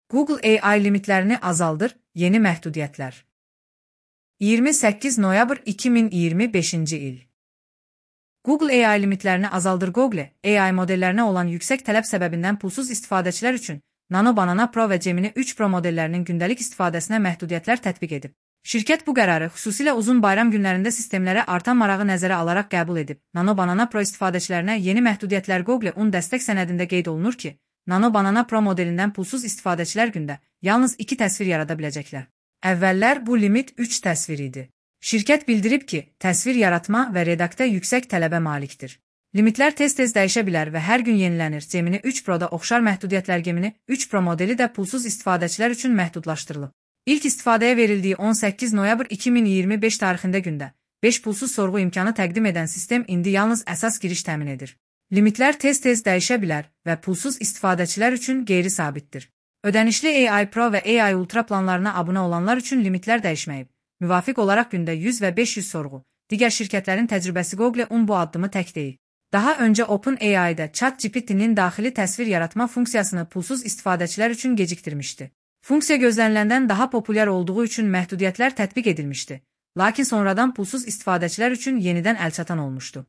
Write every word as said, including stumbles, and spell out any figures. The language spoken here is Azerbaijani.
Google A I limitlerini azaldır, yeni məhdudiyyətlər. iyirmi səkkiz noyabr iki min iyirmi beşinci il. Google A I limitlerini azaldır. Google A I modellerine olan yüksek tələb səbəbindən pulsuz istifadəçilər üçün Nano Banana Pro və Gemini üç Pro modellərinin gündəlik istifadəsinə məhdudiyyətlər tətbiq edib. Şirkət bu qərarı xüsusilə uzun bayram günlərində sistemlərə artan marağı nəzərə alaraq qəbul edib. Nano Banana Pro istifadəçilərinə yeni məhdudiyyətlər Google un dəstək sənədində qeyd olunur ki, Nano Banana Pro modelindən pulsuz istifadəçilər gündə yalnız iki təsvir yarada biləcəklər. Əvvəllər bu limit üç təsvir idi. Şirkət bildirib ki, təsvir yaratma və redaktə yüksək tələbə malikdir. Limitlər tez-tez dəyişə bilər və hər gün yenilənir. Gemini üç Pro-da oxşar məhdudiyyətlər Gemini üç Pro modeli də pulsuz istifadəçilər üçün məhdudlaşdırılıb. İlk istifadəyə verildiyi on səkkiz noyabr iki min iyirmi beş tarixində gündə beş pulsuz sorğu imkanı təqdim edən sistem indi yalnız əsas giriş təmin edir. Limitlər tez-tez dəyişə bilər və pulsuz istifadəçilər üçün qeyri-sabitdir. Ödənişli A I Pro və A I Ultra planlarına abunə olanlar üçün limitlər dəyişməyib. Müvafiq olaraq gündə yüz və beş yüz sorğu. Digər şirkətlərin təcrübəsi Google un bu addımı tək deyil. Daha öncə OpenAI-də ChatGPT-nin daxili təsvir yaratma funksiyasını pulsuz istifadəçilər üçün gecikdirmişdi. Funksiya gözləniləndən daha populyar olduğu üçün məhdudiyyətlər tətbiq edilmişdi. Lakin sonradan pulsuz istifadəçilər üçün yenidən əlçatan olmuşdu.